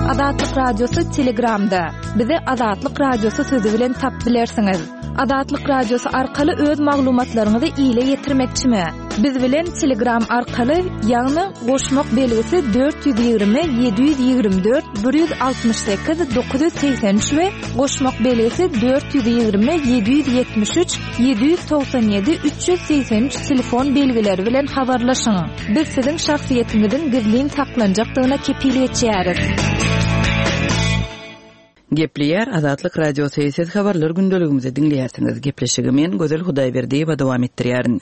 Azatlyk Radiosy Telegramda. Bizi Azatlyk Radiosy sözi bilen tap bilersiňiz. Azatlyk Radiosy arkaly öz maglumatlaryňyzy ile ýetirmekçimi? Biz bilen Telegram arkaly, ýagny goşmak belgisi 420 724 168 983 we goşmak belgisi 420 773 797 383 telefon belgileri bilen habarlaşyň. Biz siziň şahsyýetiňiziň gizlin saklanjakdygyna kepil geçýäris. Gepleýär Azatlyk Radiosy, Siz Habarlar gündeligimizi diňleýärsiňiz. Gepleşigi men, Gözel Hudaýberdiýewa dowam etdirýärin.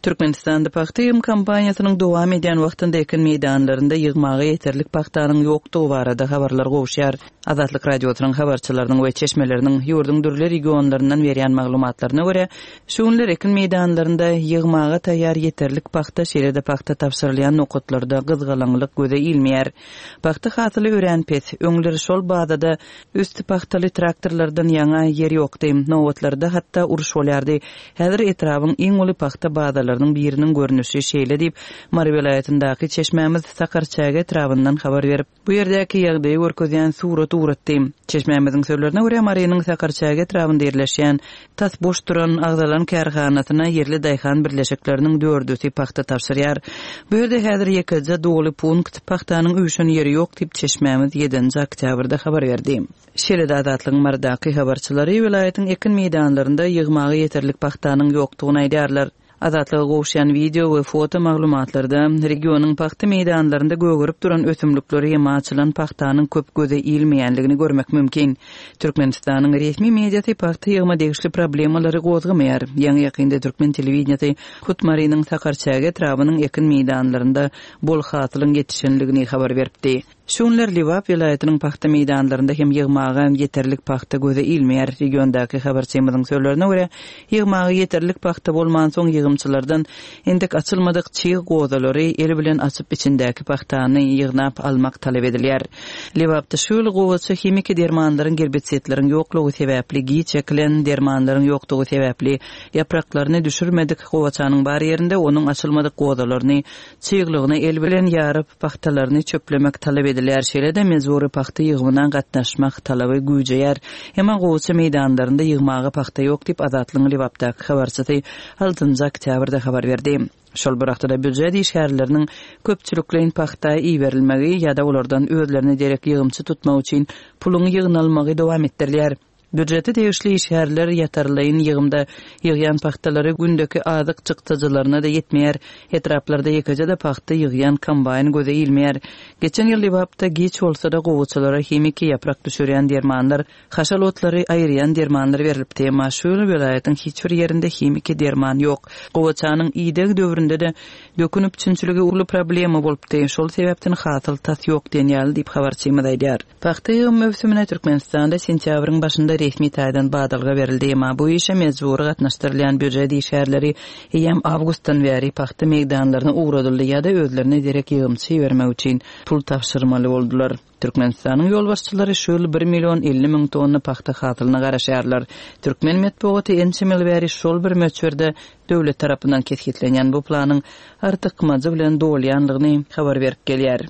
Türkmenistanda pagta ýygym kampaniýasynyň dowam edýän wagtynda ekin meýdanlarynda ýygmaga ýeterlik pagtanyň ýokdugy barada habarlar gowuşýar. Azatlyk Radiosynyň habarçylarynyň we çeşmeleriniň ýurduň dürli regionlaryndan berýän maglumatlaryna görä, şu günler ekin meýdanlarynda ýygmaga taýýar ýeterlik pagta, şeýle-de pagta tabşyrylýan nokatlarda gyzgalaňlyk göze ilmeýär. Pagta hasyly örän pes. Öňler şol bazada üsti pagtaly traktorlardan ýaňa ýer ýokdy. Nobatlarda hatda uruş bolýardy. Häzir etrabyň iň uly pagta bazalarynyň biriniň görnüşi şeýle diýip, Mary welaýatyndaky çeşmämiz Sakarçäge etrabyndan habar berip, Bu ýerdäki ýagdaýy görkezýän surat ugratdy. Çeşmämiziň sözlerine görä, Marynyň Sakarçäge etrabynda ýerleşýän, tas boş duran agzalan kärhanasyna ýerli daýhan birleşikleriniň dördüsi pagta tabşyrýar. Bu ýerde häzir ýekeje doly punkt, pagtanyň üýşen ýeri ýok diýip, çeşmämiz ýedinji oktýabrda habar berdi. Şeýle-de Azatlygyň Marydaky habarçylary welaýatyň ekin meýdanlarynda ýygmaga ýeterlik pagtanyň ýokdugyny aýdýarlar. Azatlyga gowuşýan wideo we foto maglumatlarda regionyň pagta meýdanlarynda gögerip duran ösümlikleri hem açylan pagtanyň köp göze ilmeýänligini görmek mümkin. Türkmenistanyň resmi mediasy pagta ýygyma degişli problemalary gozgamaýar. Ýaňy-ýakynda türkmen telewideniýesi hut Marynyň Sakarçäge etrabynyň ekin meýdanlarynda bol hasylyň ýetişenligini habar beripdi. Şu günler Lebap welaýatynyň pagta meýdanlarynda hem ýygmaga ýeterlik pagta göze ilmeýär. Regiondaky habarçymyzyň sözlerine görä, ýygmaga ýeterlik pagta bolmansoň ýygymçylardan entek açylmadyk çig gozalary el bilen açyp içindäki pagtany ýygnap almak talap edilýär. Lebapda şu ýyl gowaça himiki dermanlaryň gerbisidleriň ýoklugy sebäpli giç ekilen, dermanlaryň ýokdugy sebäpli ýapraklaryny düşürmedik gowaçanyň bar ýerinde onuň açylmadyk gozalaryny çyglygyny el bilen ýaryp, pagtalaryny çöplemek talap edilýär. Şeýle-de mejbury pagta ýygymyna gatnaşmak talaby güýjeýär. Emma gowaça meýdanlarynda ýygmaga pagta ýok diýip, Azatlygyň Lebapdaky habarçysy altynjy oktýabrda habar berdi. Şol bir wagtda-da býujet işgärleriniň köpçülikleýin pagta iberilmegi ýa-da olardan özlerine derek ýygymçy tutmak üçin puluň ýygnalmagy dowam etdirilýär. Býujete degişli işgärler ýatarlaýyn ýygymda ýygýan pagtalary gündeki azyk çykdajylaryna-da ýetmeýär. Etraplarda ýekeje-de pagta ýygýan kombaýn göze ilmeýär. Geçen ýyl Lebapda giç bolsa-da gowaçalara himiki ýaprak düşürýän dermanlar, haşal otlary aýyrýan dermanlar berlipdi. Emma şu ýyl welaýatyň hiç bir ýerinde himiki derman ýok. Gowaçanyň ideg döwründe-de dökün üpjünçiligi uly problema bolupdy. Şol sebäpden hasyl tas ýok diýen ýaly diýip, habarçymyz aýdýar. Pagta ýygym möwsümine Türkmenistanda sentýabryň başynda resmi taýdan badalga berildi. Emma bu işe mejbury gatnaşdyrylýan býujet işgärleri eýýäm awgustdan bäri pagta meýdanlaryna ugradyldy ýa-da özlerine derek ýygymçy ibermek üçin pul tabşyrmaly boldular. Türkmenistanyň ýolbaşçylary şu ýyl bir million 50 müň tonna pagta hasylyna garaşýarlar. Türkmen metbugaty ençeme ýyl bäri şol bir möçberde döwlet tarapyndan kesgitlenýän bu planyň artykmajy bilen dolýanlygyny habar berip gelýär.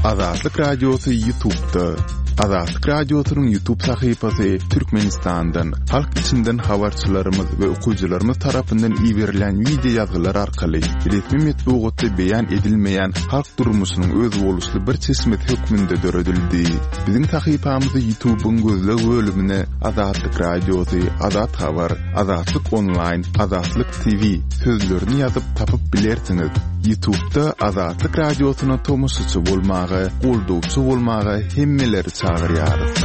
Azatlyk Radiosy Ýutubda. Azatlyk Radiosynyň Ýutub sahypasy Türkmenistandan, halk içinden habarçylarymyz we okyjylarymyz tarapyndan iberilen wideo ýazgylar arkaly resmi metbugatda beýan edilmeýän halk durmuşynyň özboluşly bir çeşmesi hökmünde döredildi. Biziň sahypamyzy Ýutubyň gözleg bölümine Azatlyk Radiosy, Azat Habar, Azatlyk Onlaýn, Azatlyk TV sözlerini ýazyp tapyp bilersiňiz. Ýutubda Azatlyk Radiosyna tomaşaçy bolmaga, goldawçy bolmaga hemmeleri çagyrýarys.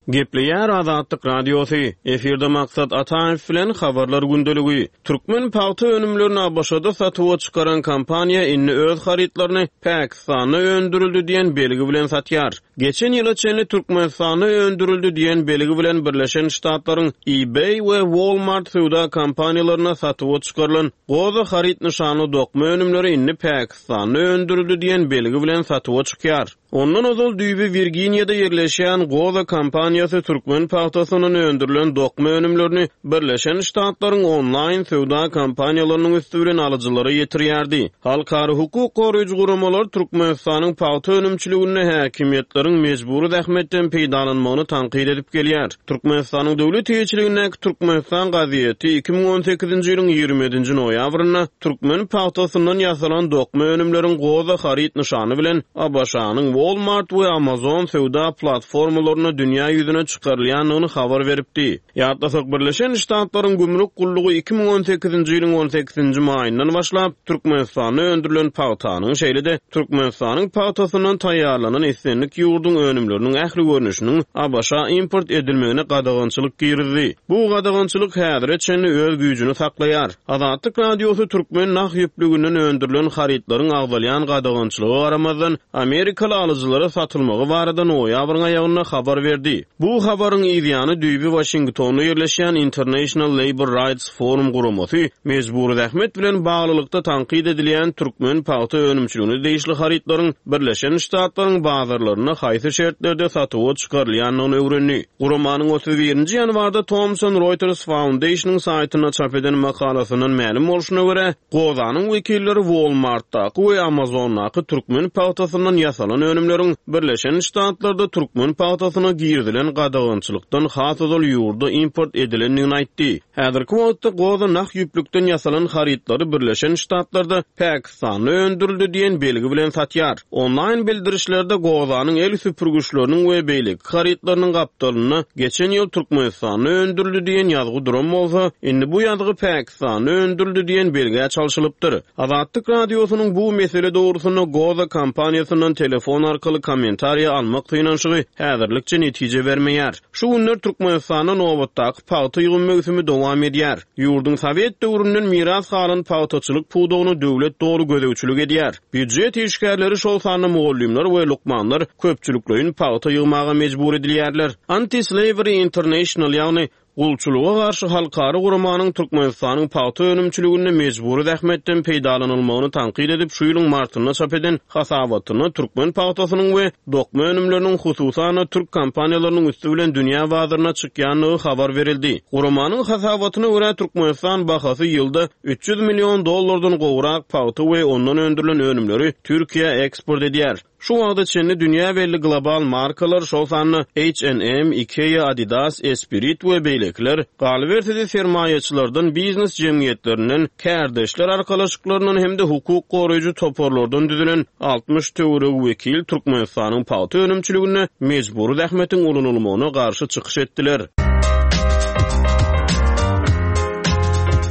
Gepleýär Azatlyk Radiosy, efirde Maksat Ataýew bilen Habarlar gündeligi. Türkmen pagta önümlerini ABŞ-da satuwa çykaran kompaniýa indi öz harytlaryny Pakistanda öndürildi diýen belgi bilen satýar. Geçen ýyla çenli Türkmenistanda öndürildi diýen belgi bilen Birleşen Ştatlaryň eBay we Walmart söwda kompaniýalarynda satuwa çykarylan Goza haryt nyşanly dokma önümleri indi Pakistanda öndürildi diýen belgi bilen satuwa çykýar. Ondan ozal düýbi Wirginiýada ýerleşýän Goza kompaniýasy türkmen pagtasyndan öndürilen dokma önümlerini Birleşen Ştatlaryň onlaýn söwda kompaniýalarynyň üsti bilen alyjylara ýetirýärdi. Halkara hukuk goraýjy guramalar Türkmenistanyň pagta önümçiliginde häkimiýetleriň mejbury zähmetden peýdalanmagyny tankyt edip gelýär. Türkmenistanyň döwlet eýeçiligindäki Türkmenistan gazeti 2018-nji ýylyň 27-nji noýabrynda türkmen pagtasyndan ýasalan dokma önümleriň Goza haryt nyşany bilen ABŞ-nyň Walmart we Amazon söwda platformalarynda dünýä ýüzüne çykarylýandygyny habar beripdi. Ýatlasak, Birleşen Ştatlaryň Gümrük gullugy 2018-nji ýylyň on sekizinji maýyndan başlap, Türkmenistanda öndürilen pagtanyň, şeýle-de Türkmenistanyň pagtasyndan taýýarlanan islendik ýurduň önümleriniň ähli görnüşiniň ABŞ-a import edilmegine gadagançylyk girizdi. Bu gadagançylyk häzire çenli öz güýjüni saklaýar. Azatlyk Radiosy türkmen nah ýüplüginden öndürilen harytlaryň agzalýan gadagançylyga garamazdan, amerikaly alyjylara satylmagy barada noýabryň aýagynda habar berdi. Bu habaryň yzýany düýbi Waşingtonda ýerleşýän International Labour Rights Forum guramasy mejbury zähmet bilen baglylykda tankyt edilýän türkmen pagta önümçiligine degişli harytlaryň Birleşen Ştatlaryň bazarlarynda haýsy şertlerde satuwa çykarylýandygyny öwrendi. Guramanyň 31-nji ýanwarda Thomson Reuters Foundation-yň saýtynda çap eden makalasyndan mälim bolşuna görä, Gozanyň wekilleri Walmart-daky we Amazon-daky türkmen pagtasyndan ýasalan önümleriň Birleşen Ştatlarda türkmen pagtasyna girizilen gadagançylykdan has ozal ýurda import edilendigini aýtdy. Häzirki wagtda Goza nah ýüplükden ýasalan harytlary Birleşen Ştatlarda Pakistanda öndürildi diýen belgi bilen satýar. Onlaýn bildirişlerde Gozanyň el süpürgiçleriniň we beýleki harytlarynyň gapdalynda geçen ýyl Türkmenistanda öndürildi diýen ýazgy duran bolsa, indi bu ýazgy Pakistanda öndürildi diýen belgä çalşylypdyr. Azatlyk Radiosynyň bu mesele dogrusynda Goza kompaniýasyndan telefon arkaly kommentariýa almak synanyşygy häzirlikçe netije bermeýär. Şu günler Türkmenistanda nobatdaky pagta ýygym möwsümi dowam edýär. Ýurduň sowet döwründen miras galan pagtaçylyk pudagyna döwlet doly gözegçilik edýär. Býujet işgärleri, şol sanda mugallymlar we lukmanlar köpçülikleýin pagta ýygmaga mejbur edilýärler. Anti-Slavery International, ýagny Gulçulyga garşy halkara guramanyň Türkmenistanyň pagta önümçiliginde mejbury zähmetden peýdalanylmagyny tankyt edip şu ýylyň martynda çap eden hasabatynda türkmen pagtasynyň we dokma önümleriniň hususan-da türk kompaniýalarynyň üsti bilen dünýä bazaryna çykýandygy habar berildi. Guramanyň hasabatyna görä, Türkmenistan bahasy ýylda 300 million dollardan gowrak pagta we ondan öndürilen önümleri Türkiýä eksport edýär. Şu wagta çenli dünýä belli global markalar, şol sanda H&M, Ikea, Adidas, Esprit we beýlekiler, galyberse-de sermaýaçylardan, biznes jemgyýetlerinden, kärdeşler arkalaşyklaryndan hem-de hukuk goraýjy toparlardan düzülen 60 töweregi wekil Türkmenistanyň pagta önümçiliginde mejbury zähmetiň ulanylmagyna garşy çykyş etdiler.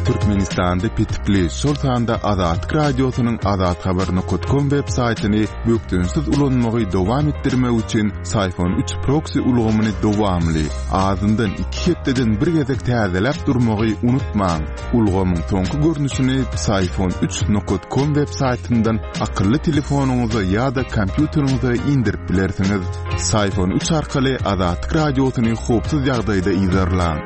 Türkmenistanda petikli, şol sanda Azatlyk Radiosynyň azathabar nokat kom web saýtyny bökdençsiz ulanmagy dowam etdirmek üçin Syfon üç proksi ulgamyny dowamly, azyndan iki hepdeden bir gezek täzeläp durmagy unutmaň. Ulgamyň soňky görnüşini Psiphon üç nokat kom web saýtyndan akylly telefonyňyza ýa-da kompýuteriňize indirip bilersiňiz. Psiphon üç arkaly Azatlyk Radiosyny howpsuz ýagdaýda yzarlaň.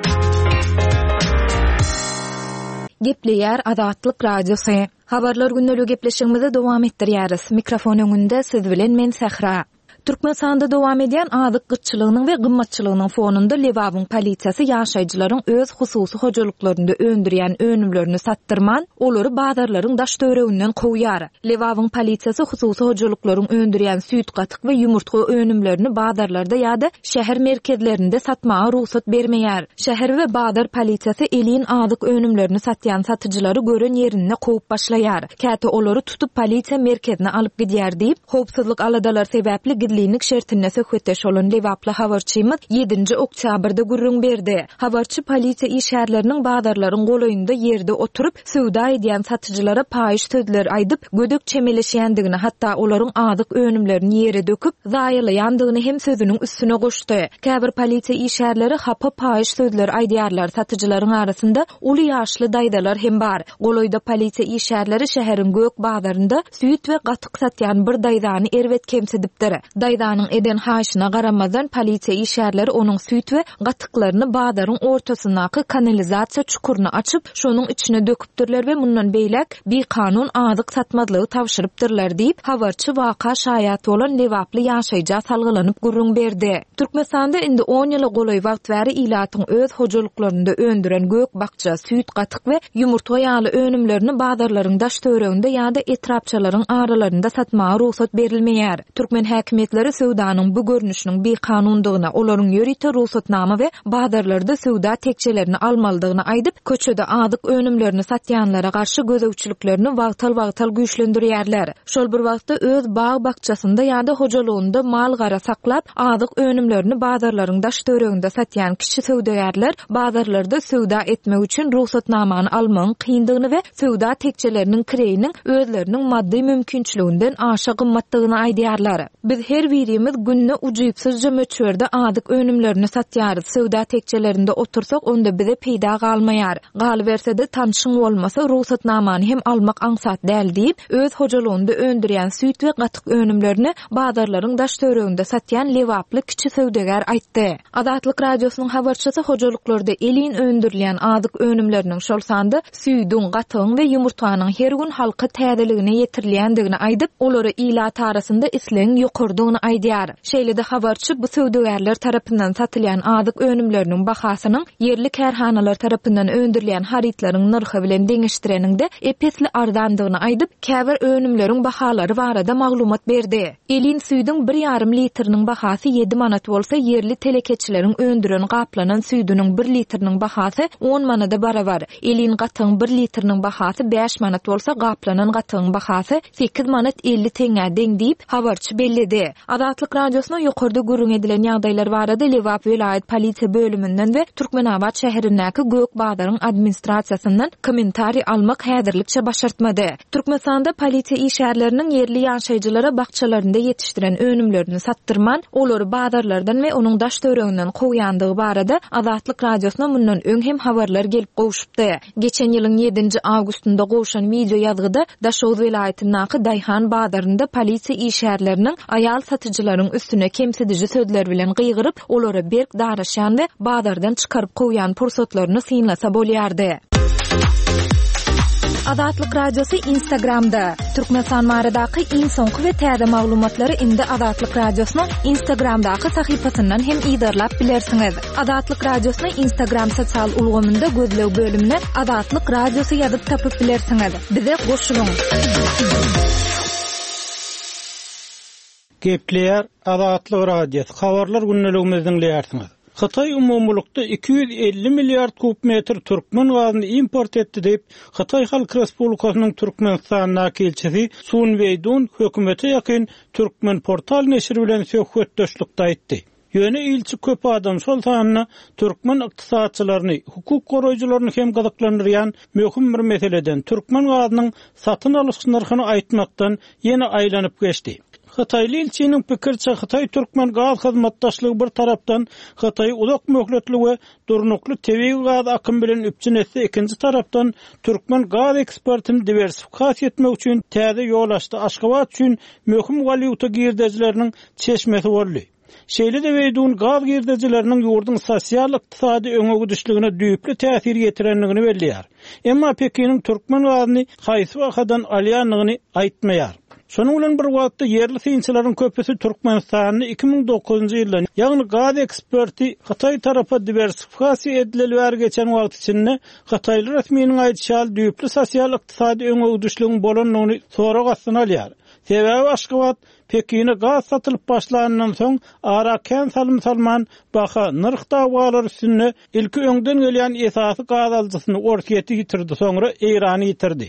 Gepleýär Azatlyk Radiosy. Habarlar gündeligi gepleşigimizi dowam etdirýäris. Mikrofon öňünde siz bilen men Sähra. Türkmenistanda dowam edýän azyk gytçylygynyň we gymmatçylygynyň fonunda Lebabyň polisiýasy ýaşaýjylaryň öz hususy hojalyklarynda öndürýän önümlerini satdyrman, olary bazarlaryň daş-töwereginden kowýar. Lebabyň polisiýasy hususy hojalyklaryň öndürýän süýt-gatyk we ýumurtga önümlerini bazarlarda ýa-da şäher merkezlerinde satmaga rugsat bermeýär. Şäher we bazar polisiýasy elin azyk önümlerini satýan satyjylary gören ýerinde kowup başlaýar. Käte olary tutup polisiýa merkezine alyp gidýär diýip, howpsuzlyk aladalary sebäpli gizlinlik şertinde söhbetdeş bolan lebaply habarçymyz ýedinji oktýabrda gürrüň berdi. Habarçy polisiýa işgärleriniň bazarlaryň golaýynda ýerde oturyp, söwda edýän satyjylara paýyş sözler aýdyp, gödek çemeleşýändigini, hatda olaryň azyk önümlerini ýere döküp, zaýalaýandygyny hem sözüniň üstüne goşdy. Käbir polisiýa işgärleri hapa paýyş sözler aýdýarlar, satyjylaryň arasynda uly ýaşly daýzalar hem bar. Golaýda polisiýa işgärleri şäheriň gök bazarynda süýt we gatyk satýan bir daýzany erbet kemsidipdir. Daýzanyň eden haýyşyna garamazdan, polisiýa işgärleri onuň süýt we gatyklaryny bazaryň ortasyndaky kanalizasiýa çukuryny açyp, şonuň içine döküpdirler we mundan beýläk bikanun azyk satmazlygy tabşyrypdyrlar diýip, habarçy waka şaýat bolan lebaply ýaşaýja salgylanyp gürrüň berdi. Türkmenistanda indi on ýyla golaý wagt bäri ilatyň öz hojalyklarynda öndüren gök-bakja, süýt-gatyk we ýumurtga ýaly önümlerini bazarlaryň daş-töwereginde ýa-da etrapçalaryň aralarynda satmaga rugsat berilmeýär. Türkmen häkimiýetleri söwdanyň bu görnüşiniň bikanundygyny, olaryň ýörite rugsatnama we bazarlarda söwda tekjelerini almalydygyny aýdyp, köçede azyk önümlerini satýanlara garşy gözegçiliklerini wagtal-wagtal güýçlendirýärler. Şol bir wagtda, öz bag-bakjasynda ýa-da hojalygynda mal-gara saklap, azyk önümlerini bazarlaryň daş-töwereginde satýan kiçi söwdagärler bazarlarda söwda etmek üçin rugsatnamany almagyň kyndygyny we söwda tekjeleriniň kireýiniň özleriniň maddy mümkinçiliginden aşa gymmatdygyny aýdýarlar. Biz her birimiz günde ujypsyzja möçberde azyk önümlerini satýarys. Söwda tekjelerinde otursak, onda bize peýda galmaýar. Galyberse-de, tanşyň bolmasa, rugsatnamany hem almak aňsat däl diýip, öz hojalygynda öndürýän süýt we gatyk önümlerini bazarlaryň daş-töwereginde satýan lebaply kiçi söwdagär aýtdy. Azatlyk Radiosynyň habarçysy hojalyklarda elin öndürilýän azyk önümleriniň, şol sanda süýdüň, gatygyň we ýumurtganyň her gün halka täzeligine ýetirilýändigini aýdyp, olara ilat arasynda islegiň ýokarydygyny aýdýar. Şeýle-de habarçy bu söwdagärler tarapyndan satylýan azyk önümleriniň bahasynyň ýerli kärhanalar tarapyndan öndürilýän harytlaryň nyrhy bilen deňeşdireniňde ep-esli arzandygyny aýdyp, käbir önümleriň bahalary barada maglumat berdi. Elin süýdüň bir ýarym litriniň bahasy ýedi manat bolsa, ýerli telekeçileriň öndüren gaplanan süýdüniň bir litriniň bahasy on manada barabar. Elin gatygyň bir litriniň bahasy bäş manat bolsa, gaplanan gatygyň bahasy sekiz manat 50 teňňä deň diýip, habarçy belledi. Azatlyk Radiosyna ýokarda gürrüň edilen ýagdaýlar barada Lebap welaýat polisiýa bölüminden we Türkmenabat şäherindäki Gök bazaryň administrasiýasyndan kommentariý almak häzirlikçe başartmady. Türkmenistanda polisiýa işgärleriniň ýerli ýaşaýjylara bakjalarynda ýetişdiren önümlerini satdyrman, olary bazarlardan we onuň daş-töwereginden kowýandygy barada Azatlyk Radiosyna mundan öň hem habarlar gelip gowşupdy. Geçen ýylyň ýedinji awgustynda gowşan wideoýazgyda Daşoguz welaýatyndaky daýhan bazarynda polisiýa işgärleriniň aýal satyjylaryň üstüne kemsidiji sözler bilen gygyryp, olara berk daraşýan we bazardan çykaryp kowýan pursatlaryny synlasa bolýardy. Azatlyk Radiosy Instagramda, Türkmenistan baradaky iň soňky we täze maglumatlary indi Azatlyk Radiosynyň Instagramdaky sahypasyndan hem yzarlap bilersiňiz. Azatlyk Radiosyny Instagram sosial ulgamynda gözleg bölümine Azatlyk Radiosy ýazyp tapyp bilersiňiz. Bize goşulyň! Gepleýär Azatlyk Radiosy, Habarlar gündeligimizi diňleýärsiňiz. Hytaý umumylykda 250 milliard kub metr türkmen gazyny import etdi diýip, Hytaý Halk Respublikasynyň Türkmenistandaky ilçisi Sun Weýdun hökümete ýakyn Türkmenportal neşiri bilen söhbetdeşlikde aýtdy. Ýöne ilçi köp adam, şol sanda türkmen ykdysatçylaryny, hukuk goraýjylaryny hem gyzyklandyrýan möhüm bir meseleden, türkmen gazynyň satyn alyş nyrhyny aýtmakdan ýene aýlanyp geçdi. Hytaýly ilçiniň pikiriçe, hytaý-türkmen gaz hyzmatdaşlygy bir tarapdan Hytaýy uzak möhletli we durnukly tebigy gaz akymy bilen üpjün etse, ikinji tarapdan türkmen gaz eksportyny diwersifikasiýa etmek üçin täze ýol açdy, Aşgabat üçin möhüm walýuta girdejileriniň çeşmesi boldy. Şeýle-de Weýdun gaz girdejileriniň ýurduň sosial-ykdysady öňe gidişligine düýpli täsir ýetirendigini belleýär. Emma Pekiniň türkmen gazyny haýsy bahadan alýandygyny aýtmaýar. Şonuň bilen bir wagtda, ýerli synçylaryň köpüsi Türkmenistanda 2009-njy ýyldan, ýagny gaz eksporty Hytaý tarapa diwersifikasiýa edileli bäri geçen wagt içinde hytaýly resminiň aýdyşy ýaly düýpli sosial-ykdysady öňe gidişligiň bolandygyny sorag astyna alýar. Sebäbi Aşgabat Pekine gaz satylyp başlanyndan soň, ara kän salym salman, baha, nyrh dawalary üstünde ilki öňden gelýän esasy gaz alyjysyny, Orsýeti ýitirdi, soňra Eýrany ýitirdi.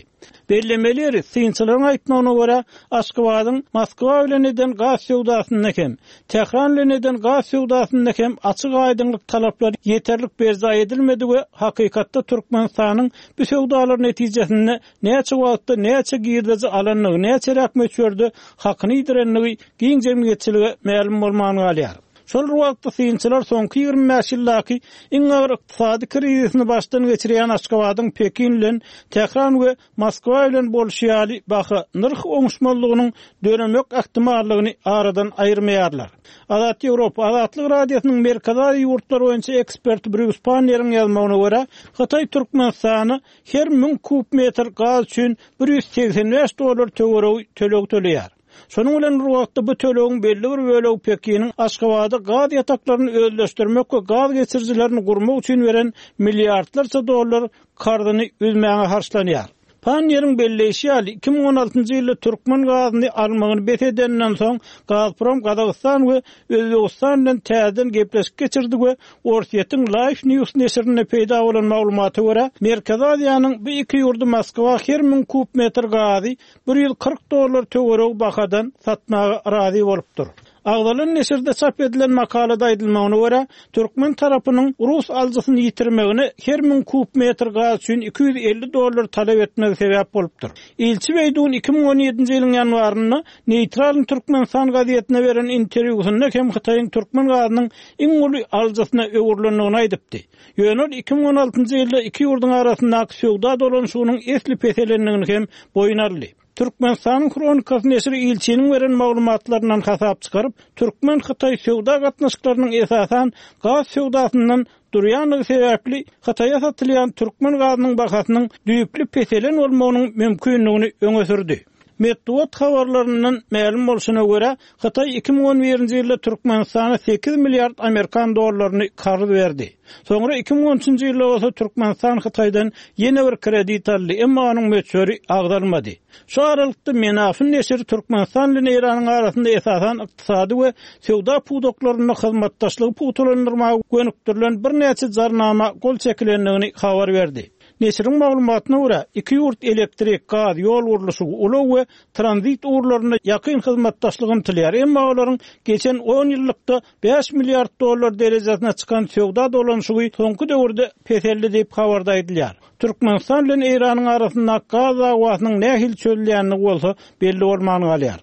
Bellemeli ýeri, synçylaryň aýtmagyna görä, Aşgabadyň Moskwa bilen eden gaz söwdasynda hem, Tähran bilen eden gaz söwdasynda hem açyk-aýdyňlyk talaplary ýeterlik berjaý edilmedi we hakykatda Türkmenistanyň bu söwdalar netijesinde näçe wagtda näçe girdeji alandygy, näçeräk möçberde hakyny ýitirendigi giň jemgyýetçilige mälim bolman galýar. Şol bir wagtda, synçylar soňky 25 ýyldaky iň agyr ykdysady krizisini başdan geçirýän Aşgabadyň Pekin bilen Tähran we Moskwa bilen bolşy ýaly baha, nyrh oňuşmazlygynyň döremek ähtimallygyny aradan aýyrmaýarlar. Azat Ýewropa, Azatlyk Radiosynyň Merkezi Aziýa ýurtlary boýunça eksperti Brýus Panneriň ýazmagyna görä, Hytaý Türkmenistana her 1000 kub metr gaz üçin 185 dollar töweregi töleg töleýär. Şonuň bilen bir wagtda bu tölegiň belli bir bölegi Pekiniň Aşgabada gaz ýataklaryny özleşdirmek we gaz geçirijilerini gurmak üçin beren milliardlarça dollar karzyny üzmäge harçlanýar. Panniýeriň belleýşi ýaly, 2016-njy ýylda türkmen gazyny almagyny bes edeninden soň, Gazprom Gazagystan we Özbegistan bilen täzeden gepleşik geçirdi we Orsýetiň Life News neşirinde peýda bolan maglumata görä, Merkezi Aziýanyň bu iki ýurdy Moskwa her 1000 kub metr gazy 140 dollar töweregi bahadan satmaga razy bolupdyr. Agzalan neşirde çap edilen makalada aýdylmagyna görä, türkmen tarapynyň rus alyjysyny ýitirmegine her 1000 kub metr gaz üçin 250 dollar talap etmegi sebäp bolupdyr. Ilçi Beýdun 2017-nji ýylyň ýanwarynda Neýtralnyý Türkmenistan gazetine beren interwýusynda hem Hytaýyň türkmen gazynyň iň uly alyjysyna öwrülendigini aýdypdy. Ýöne ol 2016-njy ýylda iki ýurduň arasyndaky söwda dolanyşygynyň esli peselendigini hem boýun aldy. Türkmenistanyň Hronikasy neşiri ilçiniň beren maglumatlaryndan hasap çykaryp, türkmen-hytaý söwda gatnaşyklarynyň esasan gaz söwdasyndan durýandygy sebäpli Hytaýa satylýan türkmen gazynyň bahasynyň düýpli peselen bolmagynyň mümkindigini öňe sürdi. Metbugat habarlaryndan mälim bolşuna görä, Hytaý 2011-nji ýylda Türkmenistana 8 milliard amerikan dollaryny karz berdi. Soňra 2013-nji ýylda bolsa Türkmenistan Hytaýdan ýene bir kredit aldy, emma onuň möçberi agzalmady. Şu aralykda Menafn neşiri Türkmenistan bilen Eýranyň arasynda esasan ykdysady we söwda pudaklarynda hyzmatdaşlygy pugtalandyrmaga gönükdirilen birnäçe jarnama gol çekilendigini habar berdi. Neşiriň maglumatyna görä, iki ýurt elektrik, gaz, ýol gurluşygy, ulag we tranzit ugurlarynda ýakyn hyzmatdaşlyga ymtylýar, emma olaryň geçen on ýyllykda 5 milliard dollar derejesine çykan söwda dolanyşygy soňky döwürde peseldi diýip, habarda aýdylýar. Türkmenistan bilen Eýranyň arasyndaky gaz dawasynyň nähili çözülýändigi bolsa belli bolman galýar.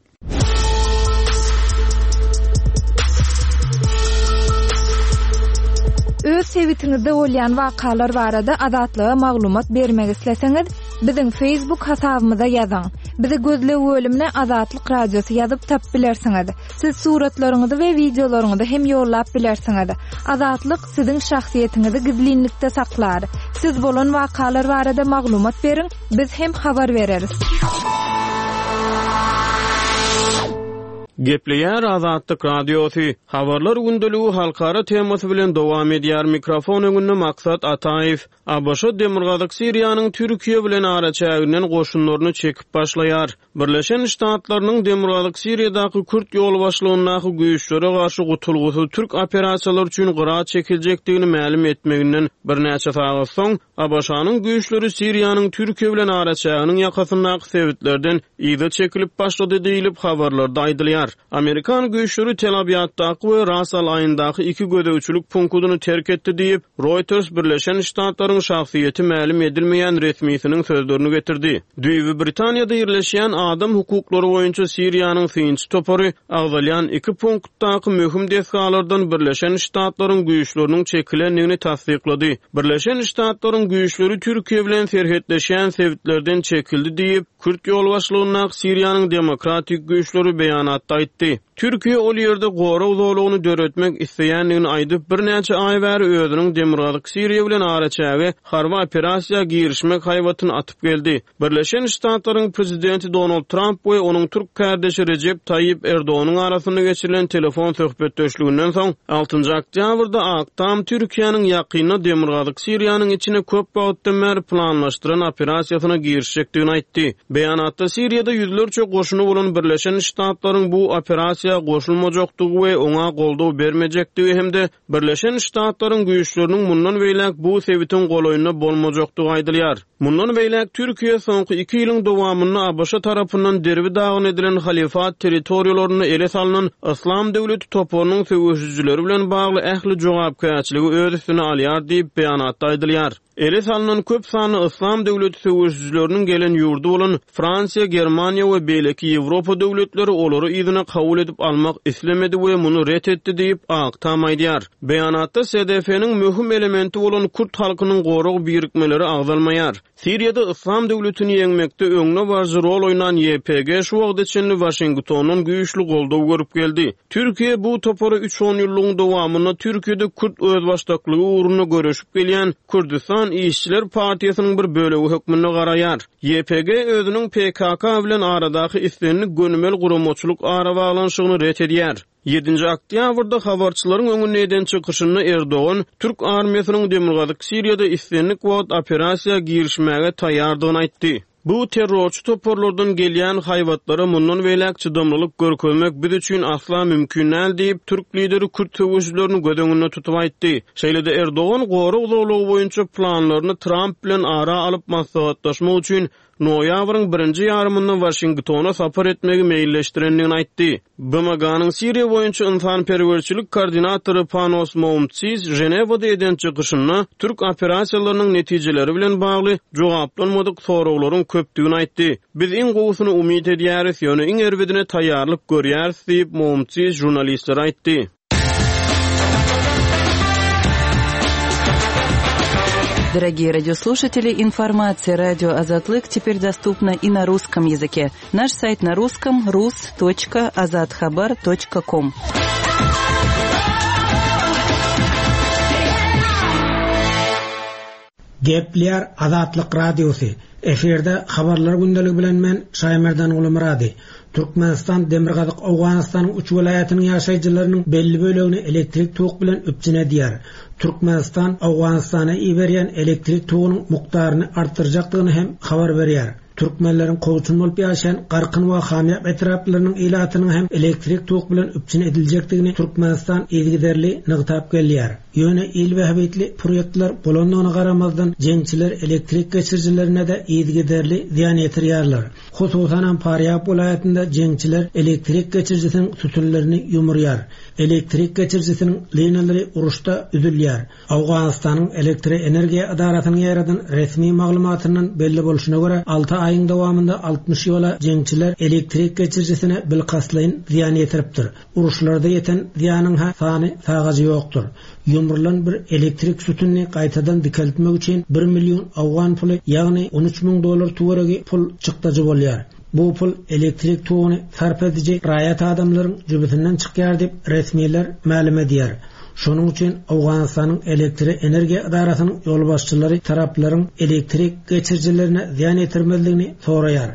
Öz sebitiňizde bolýan wakalar barada Azatlyga maglumat bermek isleseňiz, biziň Facebook hasabymyza ýazyň. Bizi gözleg bölümine Azatlyk Radiosy ýazyp tapyp bilersiňiz. Siz suratlaryňyzy we wideolaryňyzy hem ýollap bilersiňiz. Azatlyk siziň şahsyýetiňizi gizlinlikde saklar. Siz bolan wakalar barada maglumat beriň, biz hem habar bereris. Gepleýär Azatlyk Radiosy, Habarlar gündeligi halkara temasy bilen dowam edýär, mikrofon öňünde Maksat Ataýew. ABŞ Demirgazyk Siriýanyň Türkiýe bilen araçäginden goşunlaryny çekip başlaýar. Birleşen Ştatlarynyň Demirgazyk Siriýadaky kürt ýolbaşçylygyndaky güýçlere garşy gutulgysyz türk operasiýalary üçin gyra çekiljekdigini mälim etmeginden birnäçe sagat soň, ABŞ-nyň güýçleri Siriýanyň Türkiýe bilen araçäginiň ýakasyndaky sebitlerden yza çekilip başlady diýlip, habarlarda aýdylýar. Amerikan güýçleri Tel Abýaddaky we Ras Al-Aýndaky iki gözegçilik punktyny terk etdi diýip, Reuters Birleşen Ştatlaryň şahsyýeti mälim edilmeýän resmisiniň sözlerini getirdi. Düýbi Britaniýada ýerleşýän adam hukuklary boýunça Siriýanyň synçy topary agzalýan iki punktdaky möhüm desgalardan Birleşen Ştatlaryň güýçleriniň çekilendigini tassyklady. Birleşen Ştatlaryň güýçleri Türkiýe bilen serhetleşýän sebitlerden çekildi diýip, Kürt ýolbaşçylygyndaky Siriýanyň demokratik güýçleri beýanatda aýtdy. Türkiýe ol ýerde gorag zolagyny döretmek isleýändigini aýdyp, birnäçe aý bäri özüniň Demirgazyk Siriýa bilen araçäge harby operasiýa girişmek haýbatyny atyp geldi. Birleşen Ştatlaryň prezidenti Donald Tramp we onuň türk kärdeşi Rejep Taýyp Erdoganyň arasynda geçirilen telefon söhbetdeşliginden soň, altynjy oktýabrda Ak Tam Türkiýäniň ýakynda Demirgazyk Siriýanyň içine köp wagtdan bäri planlaşdyran operasiýasyna girişjekdigini aýtdy. Beýanatda Siriýada ýüzlerçe goşuny bolan Birleşen Ştatlaryň bu operasiýa goşulmajakdygy we oňa goldaw bermejekdigi hem-de Birleşen Ştatlaryň güýçleriniň mundan beýläk bu sebitiň golaýynda bolmajakdygy aýdylýar. Mundan beýläk Türkiýe soňky iki ýylyň dowamynda ABŞ tarapyndan derbi-dagyn edilen halyfat territoriýalarynda ele salnan Yslam döwleti toparynyň söweşijileri bilen bagly ähli jogapkärçiligi öz üstüne alýar diýip, beýanatda aýdylýar. Ele salnan köp sanly Yslam döwleti söweşijileriniň gelen ýurdy bolan Fransiýa, Germaniýa we beýleki Ýewropa döwletleri olary yzyna kabul edip. gaýdyp almak islemedi we muny ret etdi diýip, Ak Tam aýdýar. Beýanatda SDF-niň möhüm elementi bolan kürt halkynyň gorag birikmeleri agzalmaýar. Siriýada Yslam döwletini ýeňmekde öňdebaryjy rol oýnan YPG şu wagta çenli Waşingtondan güýçli goldaw görüp geldi. Türkiýe bu topara üç onýyllygyň dowamynda Türkiýede kürt özbaşdaklygy ugrunda göreşip gelýän Kürdüstan işçiler partiýasynyň bir bölegi hökmünde garaýar. YPG özüniň PKK bilen aradaky islendik gönümel guramaçylyk arabaglanyşygyny ret edýär. Ýedinji oktýabrda habarçylaryň öňünde eden çykyşynda Erdogan türk armiýasynyň demirgazyk Siriýada islendik wagt operasiýa girişmäge taýýardygyny aýtdy. Bu terrorçy toparlardan gelýän haýbatlara mundan beýläk çydamlylyk görkezmek biz üçin asla mümkin däl diýip, türk lideri kürt söweşijilerini göz öňünde tutup aýtdy. Şeýle-de Erdogan gorag zolagy boýunça planlaryny Tramp bilen ara alyp maslahatlaşmak üçin noýabryň birinji ýarymynda Waşingtona sapar etmegi meýilleşdirendigini aýtdy. BMG-niň Siriýa boýunça ynsanperwerçilik koordinatory Panos Moumtsis Ženewada eden çykyşynda türk operasiýalarynyň netijeleri bilen bagly jogaplanmadyk soraglaryň köpdügini aýtdy. Biz iň gowusyny umyt edýäris, ýöne iň erbedine taýýarlyk görýäris diýip, Moumtsis žurnalistlere aýtdy. Дорогие радиослушатели, информация радио Азатлык теперь доступна и на русском языке. Наш сайт на русском rus.azathabar.com. Gepleýär Azatlyk Radiosy, Efirde Habarlar gündeligi bilen men Şaýmerdan Gulumyrady. Türkmenistan Demirgazyk Owganystanyň üç welaýatynyň ýaşaýjylarynyň belli bölegini elektrik tok bilen üpjün edýär. Türkmenistan Owganystana iberýän elektrik togunyň mukdaryny artdyrjakdygyny hem habar berýär. Türkmenleriň kowçum bolup ýaşaýan Garkyn we Hamýap etraplarynyň ilatynyň hem elektrik tok bilen üpjün ediljekdigini Türkmenistan yzygiderli nygtap gelýär. Ýöne il bähbitli proýektler bolandygyna garamazdan, jeňçiler elektrik geçirijilerine-de yzygiderli zyýan ýetirýärler. Hususanam Farýab welaýatynda jeňçiler elektrik geçirijisiniň sütünlerini ýumurýar. Elektrik geçirijisiniň linalary uruşda üzülýär. Owganystanyň Elektroenergiýa edarasynyň ýaýradan resmi maglumatyndan belli bolşuna görä, alty aýyň dowamynda 60 ýola jeňçiler elektrik geçirijisine bilkastlaýyn zyýan ýetiripdir. Uruşlarda ýeten zyýanyň-ha sany-sagajy ýokdur. Ýumrulan bir elektrik sütünini gaýtadan dikeltmek üçin bir million owgan puly, ýagny 13 müň dollar töweregi pul çykdajy bolýar. Bu pul elektrik toguny sarp ediji raýat adamlaryň jübüsinden çykýar diýip, resmiler mälim edýär. Şonuň üçin Owganystanyň Elektroenergiýa edarasynyň ýolbaşçylary taraplaryň elektrik geçirijilerine zyýan ýetirmezligini soraýar.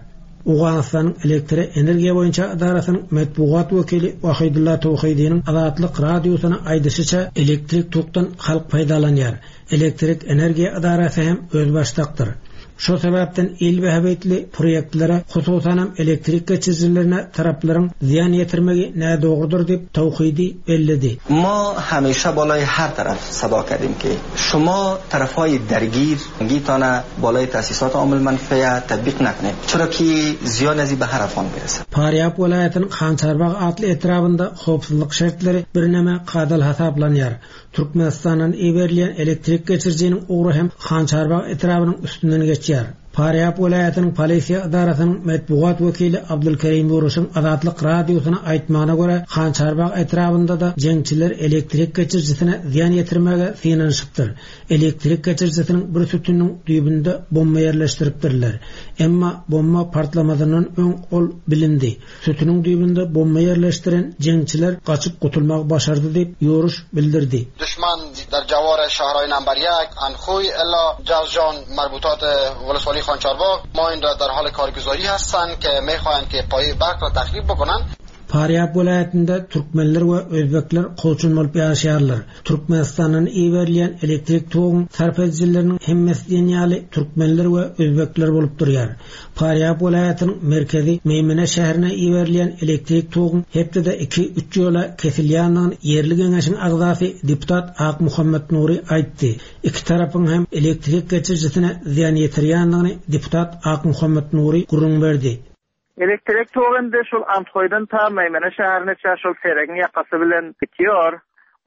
Owganystanyň Elektroenergiýa boýunça edarasynyň metbugat wekili Wahidulla Towhidiniň Azatlyk Radiosyna aýdyşyça, elektrik tokdan halk peýdalanýar. Elektrik energiýa edarasy hem özbaşdakdyr. Şo sebäpden il bähbitli proýektlere, hususanam elektrik geçirijilerine taraplaryň zyýan ýetirmegi nädogrudyr diýip, Tawhidi belledi. ما همیشه بالای هر طرف صدا کردیم که شما طرفهای درگیر گیتانه بالای تاسیسات عام المنفعه تطبیق نکنید چرا که زیان ازی به هر افغان میرسد. Farýab welaýatynyň Hançarbag atly etrabynda howpsuzlyk şertleri birneme kadaly hasaplanýar. Türkmenistandan iberilýän elektrik geçirijiniň ugry hem Hançarbag etrabynyň üstünden geçýär. Farýab welaýatynyň polisiýa edarasynyň metbugat wekili Abdulkerim Ýuruşyň Azatlyk Radiosyna aýtmagyna görä, Hançarbag etrabynda-da jeňçiler elektrik geçirijisine zyýan ýetirmäge synanyşypdyr. Elektrik geçirijisiniň bir sütüniniň düýbünde bomba ýerleşdiripdirler. Emma bomba partlamazyndan öň ol bilindi. Sütüniň düýbünde bomba ýerleşdiren jeňçiler gaçyp gutulmagy başardy diýip, Ýoruş bildirdi. Duşman در جوار شهرهای نمبر یک انخوی الا جوزجان مربوطات ولسوالی خانچارباغ ماین را در حال کارگزاری هستند که میخواهند که پایه برق را تخریب بکنند. Farýab welaýatynda türkmenler we özbekler kowçum bolup ýaşaýarlar. Türkmenistandan iberilýän elektrik toguň sarp edijileriniň hemmesi diýen ýaly türkmenler we özbekler bolup durýar. Farýab welaýatynyň merkezi Meýmene şäherine iberilýän elektrik toguň hepdede iki-üç ýola kesilýändigini ýerli geňeşiň agzasy deputat Akmuhammet Nury aýtdy. Iki tarapyň hem elektrik geçirijisine zyýan ýetirýändigini deputat Akmuhammet Nury gürrüň berdi. Elektrik togy indi şol Anthoýdan ta Meýmene şäherine çä şol Seregiň ýakasy bilen gitýor.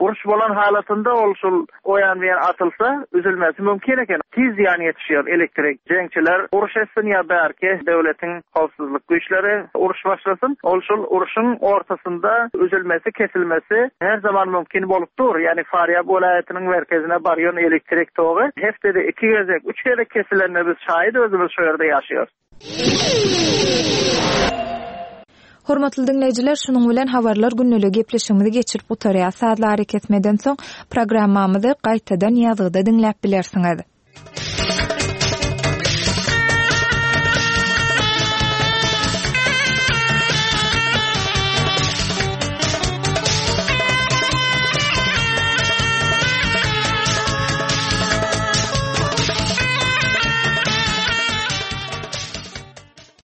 Uruş bolan halatynda ol şul o ýan bu ýan atylsa, üzülmesi mümkin eken. Tiz zyýan ýetişýär elektrik. Jeňçiler uruş etsin ýa bärki döwletiň howpsuzlyk güýçleri uruş başlasyn, ol şul urşuň ortasynda üzülmesi, kesilmesi her zaman mümkin bolup dur. Ýagny Farýab welaýatynyň merkezine barýan elektrik togy hepdede iki gezek, üç gezek kesilenine biz şaýyt özümiz şo ýerde ýaşaýarys. Hormatly diňleýjiler, şunuň bilen Habarlar gündeliği gepleşigimizi geçirip gutarýas. Sazly arakesmeden soň programmamyzy gaýtadan ýazgyda diňläp bilersiňiz.